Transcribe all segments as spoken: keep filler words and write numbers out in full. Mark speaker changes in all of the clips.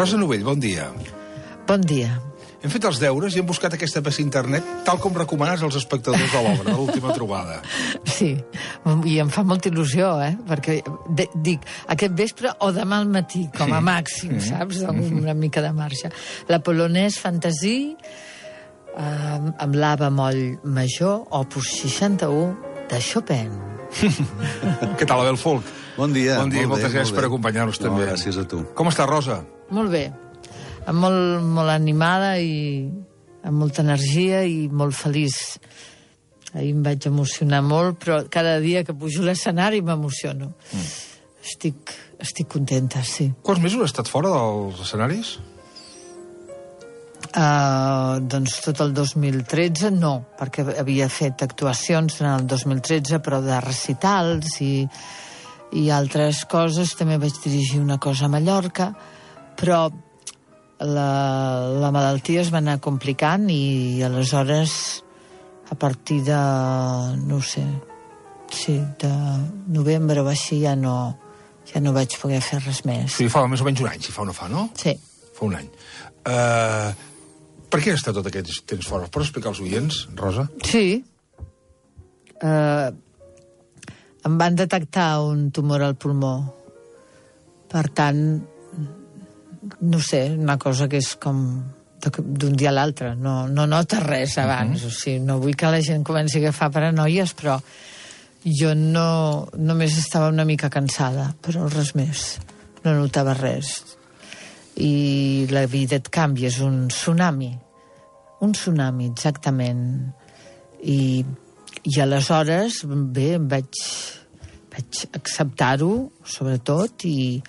Speaker 1: Rosa Novell, bon dia.
Speaker 2: Bon dia.
Speaker 1: Hem fet els deures i hem buscat aquesta peça a internet tal com recomanes als espectadors de l'obra, de l'última trobada.
Speaker 2: Sí, i em fa molta il·lusió, eh? Perquè de, dic, aquest vespre o demà al matí, com a màxim,
Speaker 1: sí.
Speaker 2: saps? Una mica de marxa. La Polonaise Fantasie, eh, amb l'A bemoll major, opus seixanta-u, de Chopin.
Speaker 1: Què tal, Abel Folk?
Speaker 3: Bon dia.
Speaker 1: Bon dia i moltes
Speaker 3: bé,
Speaker 1: gràcies per acompanyar-nos
Speaker 3: no,
Speaker 1: també.
Speaker 3: Gràcies a tu.
Speaker 1: Com està, Rosa?
Speaker 2: Molt bé. Molt, molt animada i amb molta energia i molt feliç. Ahir em vaig emocionar molt, però cada dia que pujo a l'escenari m'emociono. Mm. Estic, estic contenta, sí.
Speaker 1: Quants mesos has estat fora dels escenaris?
Speaker 2: Uh, doncs tot el dos mil tretze no, perquè havia fet actuacions en el dos mil tretze, però de recitals i, i altres coses. També vaig dirigir una cosa a Mallorca, però la, la malaltia es va anar complicant i aleshores a partir de, no sé, sí, de novembre o així ja no, ja no vaig poder fer res més.
Speaker 1: Sí, fa més o menys un any, si fa o no fa, no?
Speaker 2: Sí.
Speaker 1: Fa un any. Uh, per què has estat tot aquest temps fora? Pots explicar als oients, Rosa?
Speaker 2: Sí. Uh, em van detectar un tumor al pulmó. Per tant, no sé, una cosa que és com d'un dia a l'altre. No, no nota res abans. Uh-huh. O sigui, no vull que la gent comenci a agafar paranoies, però jo no, només estava una mica cansada, però res més. No notava res. I la vida et canvia, és un tsunami. Un tsunami, exactament. I, i aleshores, bé, vaig, vaig acceptar-ho, sobretot, i,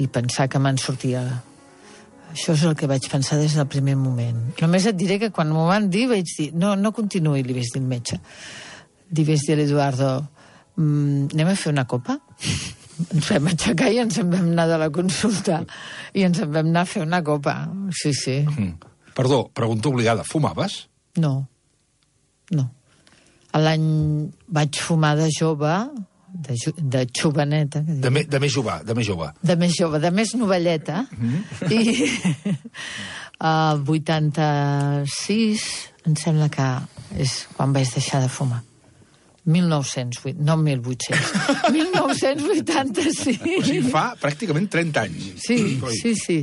Speaker 2: i pensar que me'n sortia. Això és el que vaig pensar des del primer moment. Només et diré que quan m'ho van dir vaig dir, no, no continuï, li vaig dir al metge. Li vaig dir a l'Eduardo, mmm, anem a fer una copa? Ens vam aixecar i ens en vam anar de la consulta. I ens en vam anar a fer una copa. Sí, sí.
Speaker 1: Mm. Perdó, pregunta obligada, fumaves?
Speaker 2: No, no. L'any vaig fumar de jove, de, de xoveneta.
Speaker 1: De, me, de més jove, de més jove.
Speaker 2: De més jove, de més novelleta. Mm-hmm. I a uh, vuitanta-sis, em sembla que és quan vaig deixar de fumar. mil nou-cents vuit, no mil vuit-cents. mil nou-cents vuitanta-sis.
Speaker 1: O sigui, fa pràcticament trenta anys.
Speaker 2: Sí, sí, sí.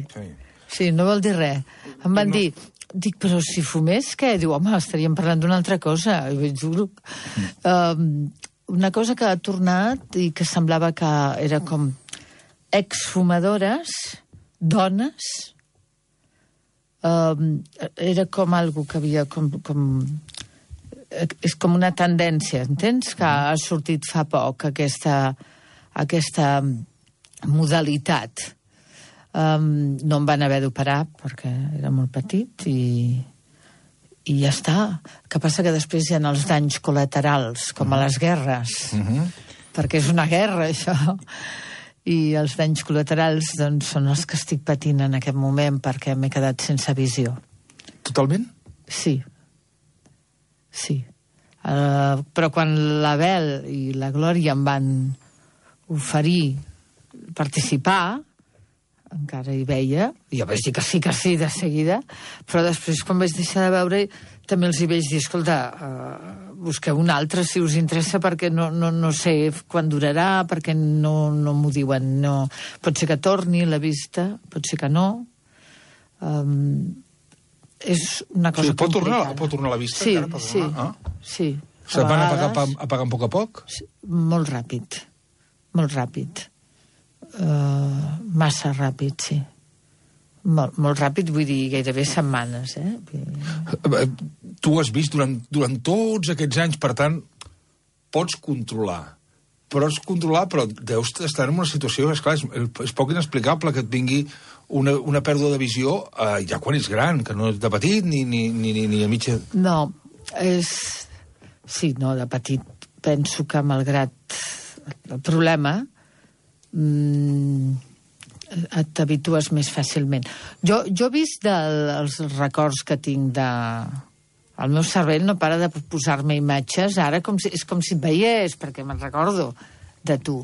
Speaker 2: Sí, no vol dir res. Em van dir, dic, però si fumés, què? Diu, home, estaríem parlant d'una altra cosa. I vaig dir, um, una cosa que ha tornat i que semblava que era com exfumadores, dones, um, era com algo que havia com, com... És com una tendència, entens? Que ha sortit fa poc aquesta, aquesta modalitat. Um, no em van haver d'operar perquè era molt petit i, i ja està. Que passa que després hi ha els danys col·laterals, com a les guerres, uh-huh. perquè és una guerra, això. I els danys col·laterals doncs, són els que estic patint en aquest moment perquè m'he quedat sense visió.
Speaker 1: Totalment?
Speaker 2: Sí. Sí. Uh, però quan l'Abel i la Glòria em van oferir participar, encara hi veia, jo vaig dir que sí, que sí, de seguida, però després, quan vaig deixar de veure, també els hi vaig dir, escolta, uh, busqueu un altre si us interessa, perquè no, no, no sé quan durarà, perquè no, no m'ho diuen. No. Pot ser que torni la vista, pot ser que no. Um, és una cosa
Speaker 1: sí, pot
Speaker 2: complicada.
Speaker 1: Tornar, pot tornar la vista?
Speaker 2: Sí,
Speaker 1: encara,
Speaker 2: sí,
Speaker 1: ah?
Speaker 2: sí.
Speaker 1: Se'n van apagar, apagant a poc a poc?
Speaker 2: Sí, molt ràpid, molt ràpid. Uh, massa ràpid, sí. Molt, molt ràpid, vull dir, gairebé setmanes, eh?
Speaker 1: Tu has vist durant, durant tots aquests anys, per tant, pots controlar. Pots controlar, però deus estar en una situació, esclar, és, és poc inexplicable que et vingui una, una pèrdua de visió eh, ja quan ets gran, que no és de petit ni, ni, ni, ni a mitja...
Speaker 2: No, és... Sí, no, de petit penso que malgrat el problema mmm, t'habitues més fàcilment. Jo, jo he vist del, els records que tinc de... El meu cervell no para de posar-me imatges, ara com si, és com si et veiés, perquè me'n recordo de tu,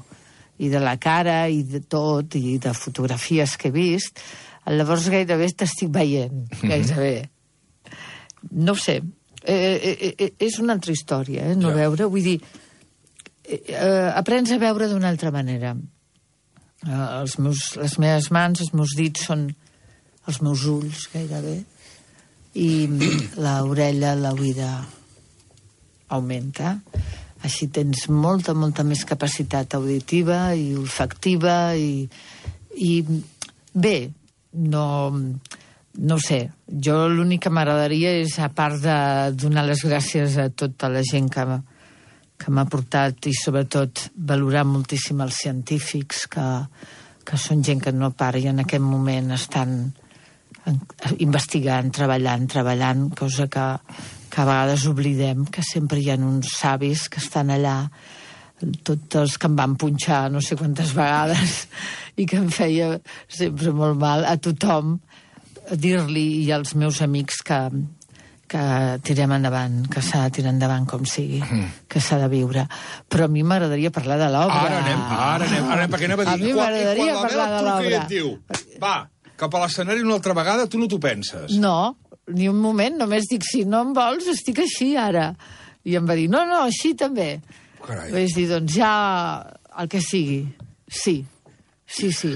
Speaker 2: i de la cara, i de tot, i de fotografies que he vist. Llavors gairebé t'estic veient, gairebé. No ho sé. Eh, eh, és una altra història, eh, no
Speaker 1: Ja.
Speaker 2: veure. Vull dir, eh, aprens a veure d'una altra manera. Eh, els meus, les meves mans, els meus dits són els meus ulls, gairebé. I l'orella, l'oïda augmenta. Així tens molta, molta més capacitat auditiva i olfactiva i, i bé, no, no ho sé. Jo l'únic que m'agradaria és, a part de donar les gràcies a tota la gent que, que m'ha portat i sobretot valorar moltíssim els científics que, que són gent que no para i en aquest moment estan investigant, treballant, treballant, cosa que, que a vegades oblidem, que sempre hi ha uns savis que estan allà, tots els que em van punxar no sé quantes vegades i que em feia sempre molt mal a tothom dir-li i als meus amics que, que tirem endavant, que s'ha de tirar endavant com sigui, mm. que s'ha de viure. Però a mi m'agradaria parlar de l'obra.
Speaker 1: Ara anem, ara anem, ara anem, perquè anava a dir...
Speaker 2: A mi m'agradaria parlar de l'obra.
Speaker 1: I et diu, va, cap a l'escenari una altra vegada, tu no t'ho penses.
Speaker 2: No, ni un moment, només dic, si no em vols, estic així ara. I em va dir, no, no, així també.
Speaker 1: Carai.
Speaker 2: Vaig dir, doncs ja el que sigui, sí, sí, sí.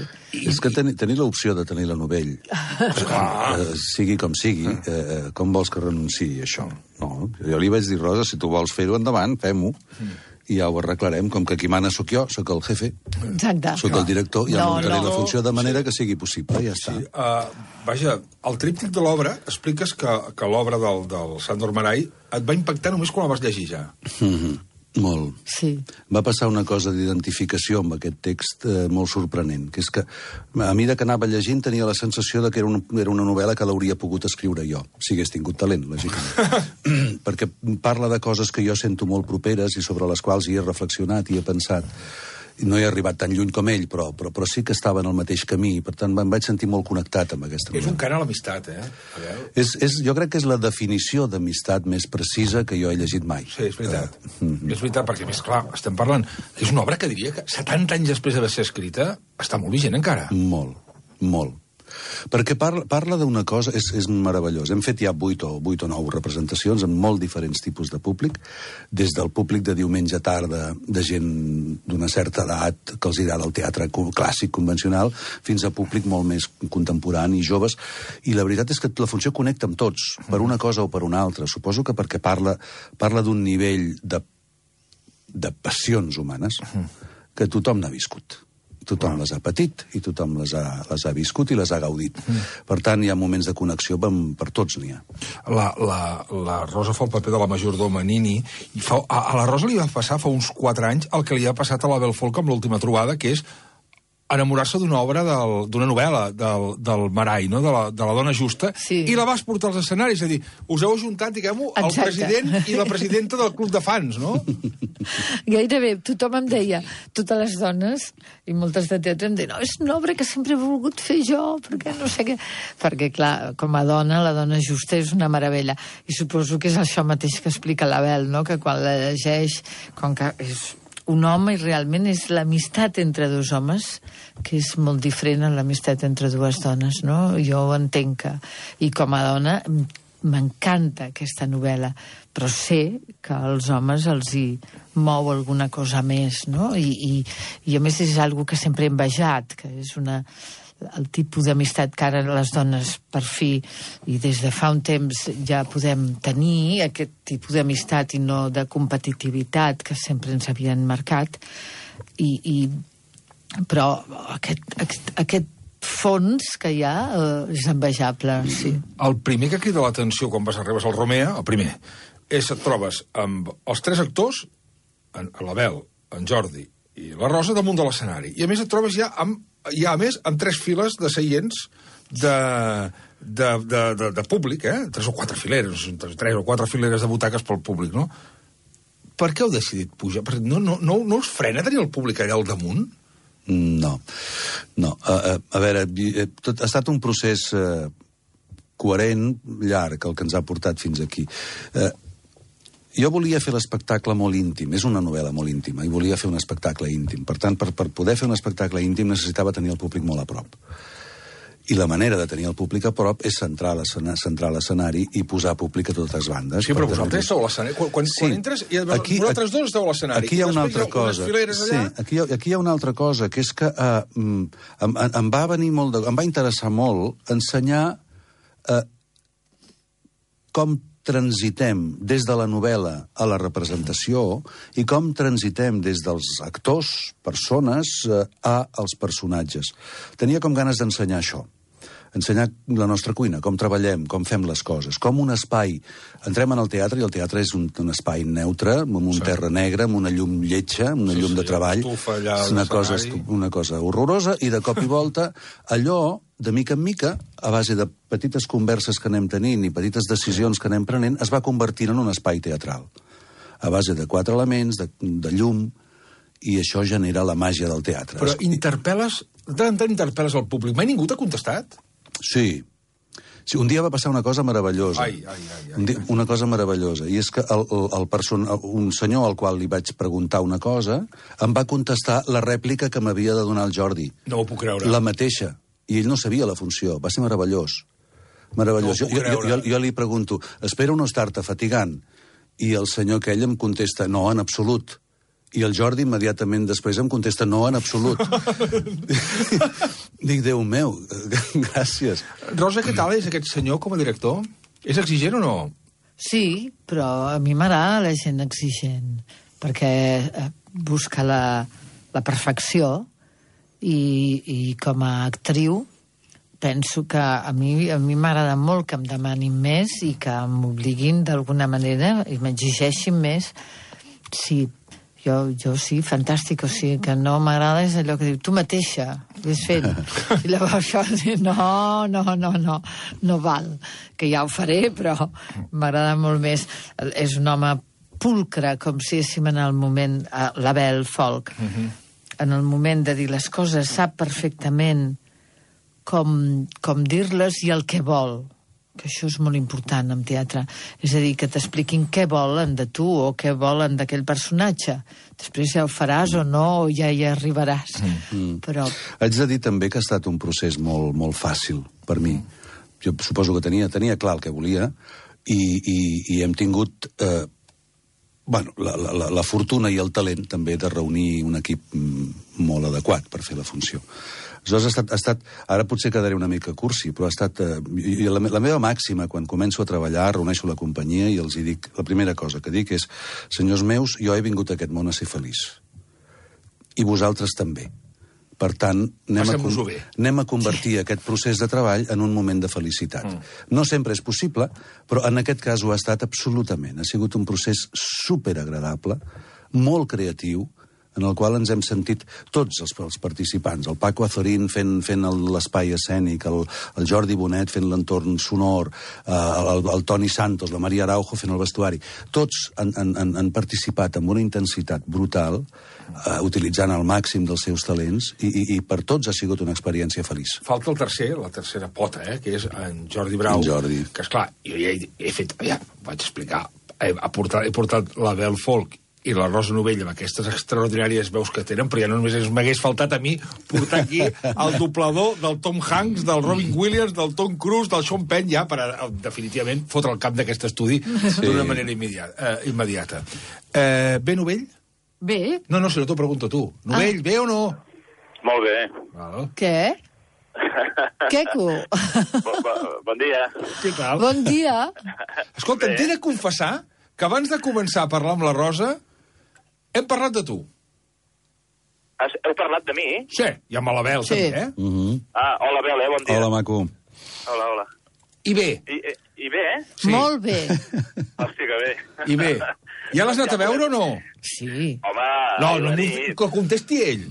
Speaker 3: És que tenir, tenir l'opció de tenir la novell, eh, sigui com sigui, eh, com vols que renunciï a això? No, jo li vaig dir, Rosa, si tu vols fer-ho endavant, fem-ho, i ja ho arreglarem, com que qui mana sóc jo, sóc el jefe,
Speaker 2: Exacte.
Speaker 3: sóc el director, ja
Speaker 2: No,
Speaker 3: muntaré
Speaker 2: no.
Speaker 3: la funció de manera que sigui possible, ja està.
Speaker 1: Sí, uh, vaja, al tríptic de l'obra expliques que, que l'obra del, del Sándor Márai et va impactar només quan la vas llegir ja.
Speaker 3: Mhm. Molt.
Speaker 2: Sí.
Speaker 3: Va passar una cosa d'identificació amb aquest text eh, molt sorprenent, que és que a mesura que anava llegint tenia la sensació de que era una, era una novel·la que l'hauria pogut escriure jo, si hagués tingut talent, lògicament. Perquè parla de coses que jo sento molt properes i sobre les quals hi he reflexionat i he pensat. No he arribat tan lluny com ell, però, però, però sí que estava en el mateix camí, per tant em vaig sentir molt connectat amb aquesta
Speaker 1: És
Speaker 3: novel·la.
Speaker 1: un cant a l'amistat, eh? A veure.
Speaker 3: És, és, jo crec que és la definició d'amistat més precisa que jo he llegit mai.
Speaker 1: Sí, és veritat. Uh, mm-hmm. És veritat, perquè, més clar, estem parlant... És una obra que diria que setanta anys després d'haver ser escrita està molt vigent encara.
Speaker 3: Molt, molt. Perquè parla, parla d'una cosa, és, és meravellós. Hem fet ja vuit o, vuit o nou representacions amb molt diferents tipus de públic, des del públic de diumenge tarda, de gent d'una certa edat que els agrada el teatre clàssic, convencional, fins a públic molt més contemporani i joves. I la veritat és que la funció connecta amb tots, per una cosa o per una altra. Suposo que perquè parla, parla d'un nivell de, de passions humanes que tothom n'ha viscut. Tothom les ha patit i tothom les ha, les ha viscut i les ha gaudit. Mm. Per tant, hi ha moments de connexió per, per tots n'hi ha.
Speaker 1: La, la, la Rosa fa el paper de la majordoma Nini i fa, a, a la Rosa li va passar fa uns quatre anys el que li ha passat a la Bel Folk amb l'última trobada, que és enamorar-se d'una obra, del, d'una novel·la del, del Márai, no? de, la, de la dona justa,
Speaker 2: Sí.
Speaker 1: i la vas portar als escenaris, és a dir, us heu ajuntat, diguem-ho, el
Speaker 2: Exacte.
Speaker 1: president i la presidenta del club de fans, no?
Speaker 2: Gairebé tothom em deia, totes les dones i moltes de teatre em deien, no, és una obra que sempre he volgut fer jo, perquè no sé què... Perquè, clar, com a dona, la dona justa és una meravella. I suposo que és això mateix que explica l'Abel, no? Que quan la llegeix, com que és un home i realment és l'amistat entre dos homes, que és molt diferent a l'amistat entre dues dones, no? Jo ho entenc que... I com a dona m'encanta aquesta novel·la, però sé que als homes els hi mou alguna cosa més, no? I, i, i a més és algo que sempre he envejat, que és una... el tipus d'amistat que ara les dones per fi i des de fa un temps ja podem tenir, aquest tipus d'amistat i no de competitivitat que sempre ens havien marcat i, i però aquest, aquest, aquest fons que hi ha eh, és envejable, sí.
Speaker 1: El primer que crida l'atenció quan vas arribes al Romea, el primer, és et trobes amb els tres actors, en, l'Abel, en Jordi i la Rosa damunt de l'escenari. I a més et trobes ja amb, ja a més amb tres files de seients de, de, de, de, de públic, eh? Tres o quatre fileres, tres o quatre fileres de butaques pel públic, no? Per què heu decidit pujar? Perquè no, no, no, no us frena tenir el públic allà al damunt?
Speaker 3: No, no. A, a, a veure, tot, ha estat un procés eh, coherent, llarg, el que ens ha portat fins aquí. Eh, jo volia fer l'espectacle molt íntim, és una novel·la molt íntima, i volia fer un espectacle íntim. Per tant, per, per poder fer un espectacle íntim necessitava tenir el públic molt a prop. I la manera de tenir el públic a prop és centrar l'escenari i posar públic a totes bandes.
Speaker 1: Sí, però vosaltres esteu a l'escenari. Quan, quan,
Speaker 3: sí.
Speaker 1: quan entres, i aquí, vosaltres dos esteu a l'escenari.
Speaker 3: Aquí hi ha una altra cosa. Sí, aquí, hi ha, aquí hi ha una altra cosa, que és que uh, em, em va venir molt de, em va interessar molt ensenyar uh, com transitem des de la novel·la a la representació i com transitem des dels actors, persones, uh, a als personatges. Tenia com ganes d'ensenyar això. Ensenyar la nostra cuina, com treballem, com fem les coses, com un espai. Entrem en el teatre i el teatre és un, un espai neutre, amb un sí. terra negra, amb una llum lletja, amb una sí, llum sí, de treball. És una cosa, una cosa horrorosa, i de cop i volta allò, de mica en mica, a base de petites converses que anem tenint i petites decisions que anem prenent, es va convertir en un espai teatral. A base de quatre elements, de, de llum, i això genera la màgia del teatre.
Speaker 1: Però interpel·les, de tant en tant interpel·les al públic. Mai ningú t'ha contestat?
Speaker 3: Sí. sí. Un dia va passar una cosa meravellosa.
Speaker 1: Ai, ai, ai, ai,
Speaker 3: un dia, una cosa meravellosa. I és que el, el, el person, un senyor al qual li vaig preguntar una cosa em va contestar la rèplica que m'havia de donar el Jordi.
Speaker 1: No ho puc creure.
Speaker 3: La mateixa. I ell no sabia la funció. Va ser meravellós. Meravellós.
Speaker 1: No
Speaker 3: jo, jo, jo, jo li pregunto, espero no estar-te fatigant. I el senyor aquell em contesta, no, en absolut. I el Jordi immediatament després em contesta, no, en absolut. Dic, Déu meu, gràcies.
Speaker 1: Rosa, què tal és aquest senyor com a director? És exigent o no?
Speaker 2: Sí, però a mi m'agrada la gent exigent, perquè busca la, la perfecció i, i com a actriu penso que a mi a mi m'agrada molt que em demanin més i que m'obliguin d'alguna manera i m'exigeixin més. Sí, Jo, jo sí, fantàstic, o sigui, que no m'agrada és allò que diu, tu mateixa, vés fent. I llavors això, no, no, no, no, no val, que ja ho faré, però m'agrada molt més. És un home pulcre, com si diguéssim en el moment, l'Abel Folk, uh-huh. en el moment de dir les coses, sap perfectament com, com dir-les i el que vol. Que això és molt important en teatre. És a dir, que t'expliquin què volen de tu o què volen d'aquell personatge. Després ja ho faràs o no, o ja hi arribaràs. Mm. Però...
Speaker 3: Haig de dir també que ha estat un procés molt, molt fàcil per mi. Jo suposo que tenia, tenia clar el que volia i, i, i hem tingut eh, bueno, la, la, la fortuna i el talent també de reunir un equip molt adequat per fer la funció. Aleshores, ha estat, ha estat, ara potser quedaré una mica cursi, però ha estat... Eh, la, la meva màxima, quan començo a treballar, reuneixo la companyia i els hi dic... La primera cosa que dic és, senyors meus, jo he vingut a aquest món a ser feliç. I vosaltres també. Per tant, anem, a, anem a convertir sí. aquest procés de treball en un moment de felicitat. Mm. No sempre és possible, però en aquest cas ho ha estat absolutament. Ha sigut un procés superagradable, molt creatiu, en el qual ens hem sentit tots els, els participants, el Paco Azorín fent, fent l'espai escènic, el, el Jordi Bonet fent l'entorn sonor, eh, el, el Toni Santos, la Maria Araujo fent el vestuari. Tots han, han, han participat amb una intensitat brutal, eh, utilitzant al màxim dels seus talents, i, i, i per tots ha sigut una experiència feliç.
Speaker 1: Falta el tercer, la tercera pota, eh, que és en Jordi Brau.
Speaker 3: En Jordi.
Speaker 1: Que, esclar, jo ja he, he fet... Ja, vaig explicar. He, he, portat, he portat l'Abel Folk i la Rosa Novell amb aquestes extraordinàries veus que tenen, però ja no només m'hagués faltat a mi portar aquí el doblador del Tom Hanks, del Robin Williams, del Tom Cruise, del Sean Penn, ja per a, definitivament fotre el cap d'aquest estudi sí. d'una manera immediata. Eh, immediata. Eh, bé, Novell?
Speaker 2: Bé.
Speaker 1: No, no, si no t'ho pregunto tu. Novell, ah. bé o no?
Speaker 4: Molt bé.
Speaker 1: Val.
Speaker 2: Què? Queco.
Speaker 4: Bon, bon, bon dia.
Speaker 1: Què tal?
Speaker 2: Bon dia.
Speaker 1: Escolta, t'he de confessar que abans de començar a parlar amb la Rosa hem parlat de tu.
Speaker 4: Has, heu parlat de mi?
Speaker 1: Sí, i amb l'Abel
Speaker 2: sí.
Speaker 1: també, eh?
Speaker 3: Uh -huh.
Speaker 4: Ah, hola, Abel, eh? Bon dia.
Speaker 3: Hola, maco.
Speaker 4: Hola, hola.
Speaker 1: I bé.
Speaker 4: I, i, i bé, eh?
Speaker 2: Sí. Molt bé.
Speaker 4: Hòstia, que bé.
Speaker 1: I bé. Ja l'has anat a veure o no?
Speaker 2: Sí.
Speaker 4: Home,
Speaker 1: no,
Speaker 4: ahir
Speaker 1: no,
Speaker 4: la nit...
Speaker 1: Que contesti ell.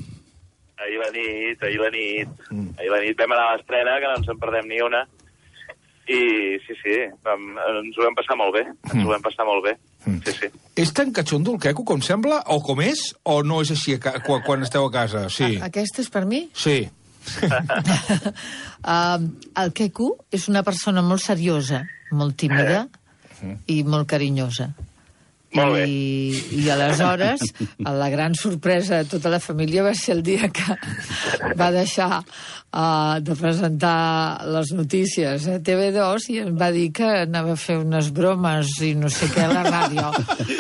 Speaker 4: Ahir la nit, ahir la nit. Mm. Ahir la nit vam anar a l'estrena, que no ens en perdem ni una. I sí, sí, vam, ens ho vam passar molt bé. Ens mm. ho vam passar molt bé. Mm. Sí, sí. És
Speaker 1: tan catxondo el queco com sembla? O com és? O no és així quan, quan esteu a casa? Sí.
Speaker 2: A, aquest és per mi?
Speaker 1: Sí.
Speaker 2: uh, el queco és una persona molt seriosa, molt tímida eh. i molt carinyosa.
Speaker 4: Molt bé.
Speaker 2: I, I aleshores, la gran sorpresa de tota la família va ser el dia que va deixar uh, de presentar les notícies a T V dos i em va dir que anava a fer unes bromes i no sé què a la ràdio.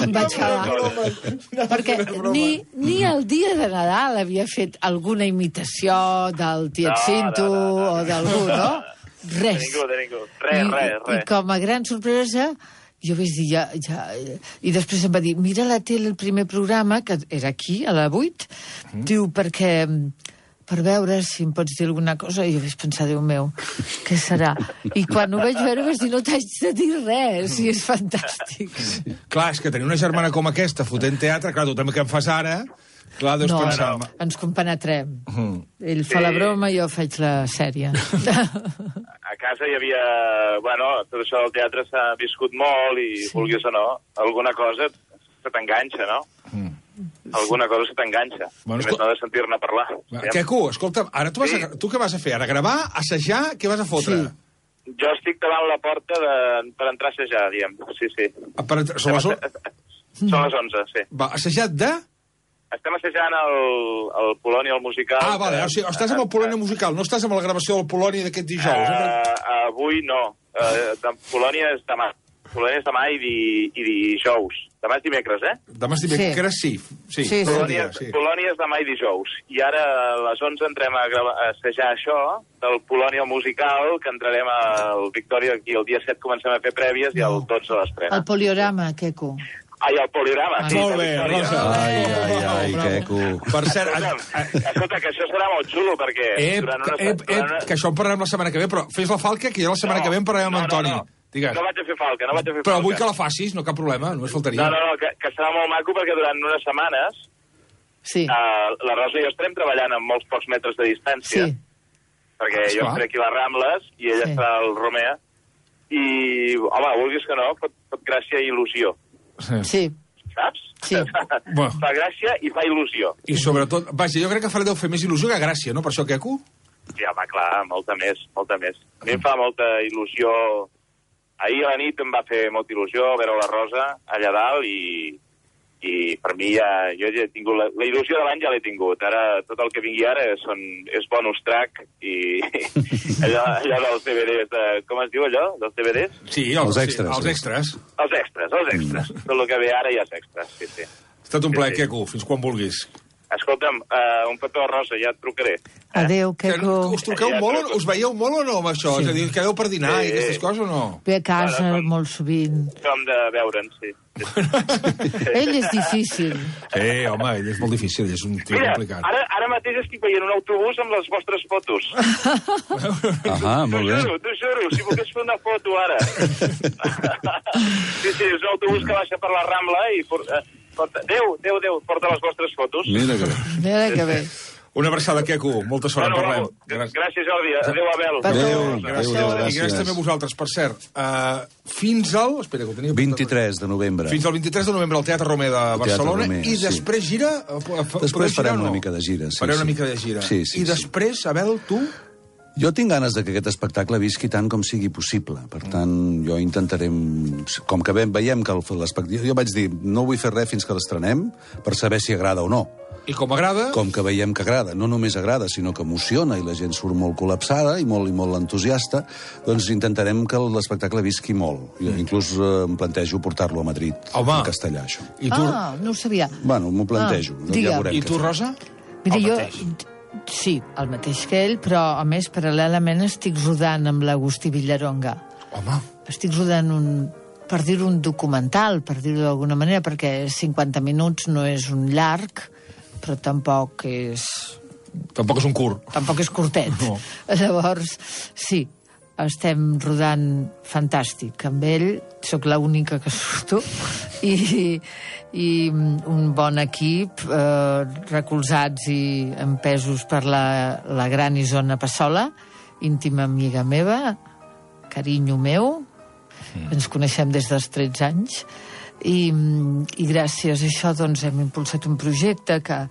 Speaker 2: Em vaig quedar... Perquè ni, ni el dia de Nadal havia fet alguna imitació del Tiet Cinto
Speaker 4: no, no, no, no.
Speaker 2: o d'algú, no? Res.
Speaker 4: De ningú, de ningú. Res,
Speaker 2: I,
Speaker 4: res, res.
Speaker 2: I com a gran sorpresa... Jo vaig dir, ja, ja... I després em va dir, mira la tele, el primer programa, que era aquí, a la vuit, mm. diu, perquè... per veure si em pots dir alguna cosa, i jo vaig pensar, Déu meu, què serà? I quan ho vaig veure vaig dir, no t'haig de dir res, i és fantàstic.
Speaker 1: Sí. Clar, és que tenir una germana com aquesta fotent teatre, clar, tu també que em fas ara, clar, deus
Speaker 2: no,
Speaker 1: pensar...
Speaker 2: No, ens compenetrem.
Speaker 1: Mm.
Speaker 2: Ell fa
Speaker 4: sí.
Speaker 2: la broma i jo faig la sèrie.
Speaker 4: A casa hi havia... Bueno, tot això del teatre s'ha viscut molt i, sí. vulguis o no, alguna cosa se t'enganxa, no? Mm. Alguna cosa se t'enganxa. Bueno, escol... no de sentir-ne parlar.
Speaker 1: Queco, escolta'm, ara tu, vas
Speaker 4: sí.
Speaker 1: a... tu què vas a fer? Ara gravar, assajar, què vas a fotre?
Speaker 2: Sí.
Speaker 4: Jo estic davant la porta de... per entrar a assajar, diem. Sí, sí.
Speaker 1: Ah, per entrar... Són les...
Speaker 4: Són les onze, sí.
Speaker 1: Va, assajat de...
Speaker 4: Estem assajant el, el Polònia, el musical.
Speaker 1: Ah, vale, o sigui, estàs amb el Polònia musical, no estàs amb la gravació del Polònia d'aquest dijous.
Speaker 4: Uh, uh, avui no. Uh, de Polònia és demà. Polònia és demà i, di, i dijous. Demà és dimecres, eh?
Speaker 1: Demà és dimecres, sí. Sí, sí.
Speaker 4: sí, Polònia, sí. Polònia és demà i dijous. I ara a les onze entrem a, gravar, a assajar això del Polònia musical, que entrarem al Victòria aquí el dia set, comencem a fer prèvies no. i el dotze a l'estrena.
Speaker 2: El poliorama, Queco.
Speaker 4: Ai, el poliorama,
Speaker 1: ah,
Speaker 4: sí.
Speaker 1: Molt bé, Rosa.
Speaker 3: Ai, ai, ai, Queco.
Speaker 1: Per cert...
Speaker 4: Escolta, que això serà molt xulo, perquè...
Speaker 1: Ep,
Speaker 4: durant una,
Speaker 1: ep, ep,
Speaker 4: una...
Speaker 1: que això en parlarem la setmana que ve, però fes la falca, que ja la setmana no, que ve en parlarem amb
Speaker 4: no,
Speaker 1: Antoni.
Speaker 4: No, no. Digues. No vaig a fer falca, no vaig a fer
Speaker 1: però
Speaker 4: falca.
Speaker 1: vull que la facis, no cap problema, només faltaria.
Speaker 4: No, no, no, que, que serà molt maco, perquè durant unes setmanes
Speaker 2: sí.
Speaker 4: uh, la Rosa i jo estarem treballant amb molts pocs metres de distància,
Speaker 2: sí.
Speaker 4: perquè jo estaré aquí a les Rambles i ella sí. estarà al Romea, i, home, vulguis que no, pot, pot gràcia i il·lusió.
Speaker 1: Sí.
Speaker 2: sí.
Speaker 4: Saps?
Speaker 2: Sí.
Speaker 4: Bueno. Fa gràcia i fa il·lusió.
Speaker 1: I sobretot, vaja, jo crec que farà deu fer més il·lusió que gràcia, no? Per això, Queco?
Speaker 4: Sí, home, clar, molta més, molta més. A mi em fa molta il·lusió. Ahir a la nit em va fer molta il·lusió veure la Rosa allà dalt i, i per mi ja, jo ja he tingut la, la il·lusió de l'any ja l'he tingut. Ara tot el que vingui ara són, és bonus track i allò, allò dels D V Ds, de, com es diu allò, dels D V Ds?
Speaker 1: Sí, els, els extras. Sí, els extras.
Speaker 4: Els extras, els extras. Mm. Tot el que ve ara ja és extras, sí, sí.
Speaker 1: Ha estat un plaer,
Speaker 4: sí, sí.
Speaker 1: Queco, fins quan vulguis.
Speaker 4: Escolta'm, uh, un petó, Rosa, ja et trucaré.
Speaker 2: Adéu, Queco.
Speaker 1: Us truqueu ja molt o us veieu molt o no amb això? Sí. És a dir, quedeu per dinar sí. i aquestes coses o no?
Speaker 2: Ve a casa bueno, com, molt sovint.
Speaker 4: Com de veure'n, sí.
Speaker 2: Ell és difícil.
Speaker 1: Sí, home, ell és molt difícil, és un tio
Speaker 4: Mira,
Speaker 1: complicat.
Speaker 4: Ara, ara mateix estic veient un autobús amb les vostres fotos.
Speaker 3: Ahà, molt bé.
Speaker 4: T'ho juro, t'ho juro, si volgués fer una foto ara. sí, sí, és un autobús que baixa per la Rambla i... Porta, porta, Déu, Déu, Déu, porta les vostres fotos.
Speaker 3: Mira que bé.
Speaker 2: Mira que bé.
Speaker 1: Una abraçada, Queco. Molta sort,
Speaker 4: bueno,
Speaker 1: en parlem.
Speaker 4: Gràcies. gràcies, Jordi. Adéu, Abel.
Speaker 3: Adéu,
Speaker 1: gràcies.
Speaker 3: adéu,
Speaker 1: gràcies. I gràcies també a vosaltres. Per cert, uh, fins al... Espera, que ho tenia...
Speaker 3: vint-i-tres de novembre.
Speaker 1: Fins al vint-i-tres de novembre al Teatre Romea de Barcelona. Romea, i després sí. gira...
Speaker 3: Després farem una mica de gira, sí.
Speaker 1: Farem
Speaker 3: sí.
Speaker 1: una mica de gira.
Speaker 3: Sí, sí,
Speaker 1: I després, Abel, tu...
Speaker 3: Jo tinc ganes de que aquest espectacle visqui tant com sigui possible. Per tant, jo intentaré... Com que veiem que l'espectacle... Jo vaig dir, no vull fer res fins que l'estrenem per saber si agrada o no.
Speaker 1: I com agrada?
Speaker 3: Com que veiem que agrada. No només agrada, sinó que emociona i la gent surt molt col·lapsada i molt i molt entusiasta, doncs intentarem que l'espectacle visqui molt. Jo inclús eh, em plantejo portar-lo a Madrid,
Speaker 1: Home.
Speaker 3: en castellà, això.
Speaker 2: I tu... Ah, no ho sabia.
Speaker 3: Bueno, m'ho plantejo.
Speaker 2: Ah,
Speaker 3: ja veurem
Speaker 1: I tu, Rosa?
Speaker 2: Mira,
Speaker 1: el
Speaker 2: jo...
Speaker 1: mateix.
Speaker 2: Sí, el mateix que ell, però, a més, paral·lelament estic rodant amb l'Agustí Villaronga.
Speaker 1: Home.
Speaker 2: Estic rodant un... per dir un documental, per dir-ho d'alguna manera, perquè cinquanta minuts no és un llarg, però tampoc és...
Speaker 1: Tampoc és un curt.
Speaker 2: Tampoc és curtet. No. Llavors, sí, estem rodant fantàstic. Amb ell sóc l'única que surto i, i un bon equip, eh, recolzats i empesos per la, la gran Isona Passola, íntima amiga meva, carinyo meu, mm. ens coneixem des dels tretze anys, i, i gràcies a això doncs, hem impulsat un projecte que,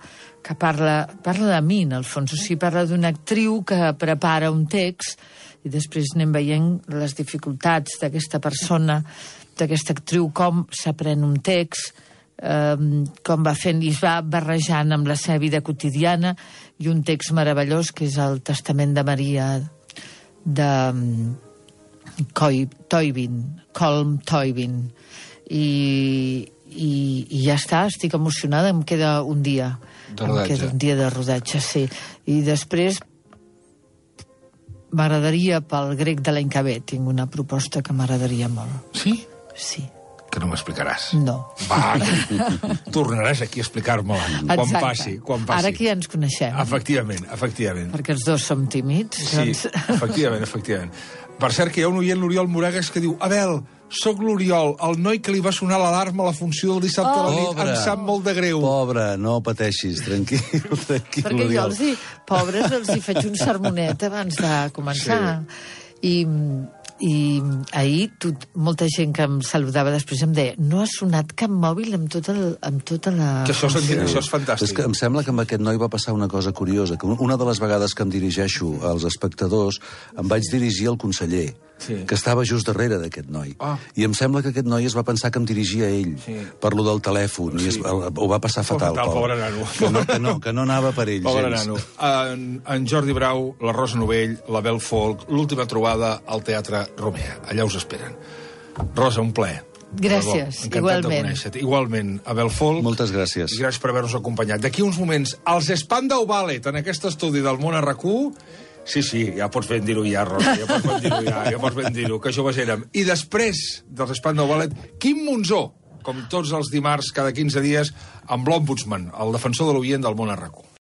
Speaker 2: que parla, parla de mi, en el fons. O sigui, parla d'una actriu que prepara un text i després anem veient les dificultats d'aquesta persona d'aquesta actriu, com s'aprèn un text, eh, com va fent i es va barrejant amb la seva vida quotidiana, i un text meravellós que és el Testament de Maria de Toybin, Colm Toybin. I, i, i ja està, estic emocionada, em queda un dia.
Speaker 1: De rodatge.
Speaker 2: Em queda un dia de rodatge, sí. I després m'agradaria pel grec de l'any que ve, tinc una proposta que m'agradaria molt.
Speaker 1: Sí?
Speaker 2: Sí.
Speaker 1: Que no m'explicaràs.
Speaker 2: No.
Speaker 1: Va, tornaràs aquí a explicar-me-la quan passi, quan passi.
Speaker 2: Ara que ja ens coneixem.
Speaker 1: Efectivament, efectivament.
Speaker 2: Perquè els dos som tímids.
Speaker 1: Sí,
Speaker 2: doncs...
Speaker 1: efectivament, efectivament. Per cert, que hi ha un oient, l'Oriol Moragues, que diu: Abel, sóc l'Oriol, el noi que li va sonar l'alarma a la funció del dissabte oh, a la nit. Pobre, em sap molt de greu.
Speaker 3: Pobre, no pateixis, tranquil, tranquil,
Speaker 2: Perquè
Speaker 3: Oriol.
Speaker 2: jo els hi, pobres, els hi faig un sermonet abans de començar. Sí. I, i ahir tot, molta gent que em saludava després em deia: no ha sonat cap mòbil amb tota, el, amb tota la...
Speaker 1: Que això, sí. Això és fantàstic.
Speaker 3: És que em sembla que amb aquest noi va passar una cosa curiosa, que una de les vegades que em dirigeixo als espectadors em vaig dirigir al conseller, sí. que estava just darrere d'aquest noi. Ah. I em sembla que aquest noi es va pensar que em dirigia a ell, sí. per lo del telèfon, sí. i es, ho va passar fatal.
Speaker 1: Fatal, pobre nano.
Speaker 3: Que no, que, no, que no anava per ell,
Speaker 1: pobre
Speaker 3: gens.
Speaker 1: Nano. En, en Jordi Brau, la Rosa Novell, la Bel Folk, l'última trobada al Teatre Romea. Allà us esperen. Rosa, un plaer.
Speaker 2: Gràcies, igualment.
Speaker 1: Igualment, Abel Folk.
Speaker 3: Moltes gràcies.
Speaker 1: I gràcies per haver-nos acompanyat. D'aquí uns moments, els Spandau Ballet, en aquest estudi del món a RAC u. Sí, sí, ja pots ben dir-ho ja, Rosa, ja pots ben dir-ho ja, ja pots ben dir-ho, que joves érem. I després dels Spandau Ballet, Quim Monzó, com tots els dimarts, cada quinze dies, amb l'Ombudsman, el defensor de l'oient del món a RAC u.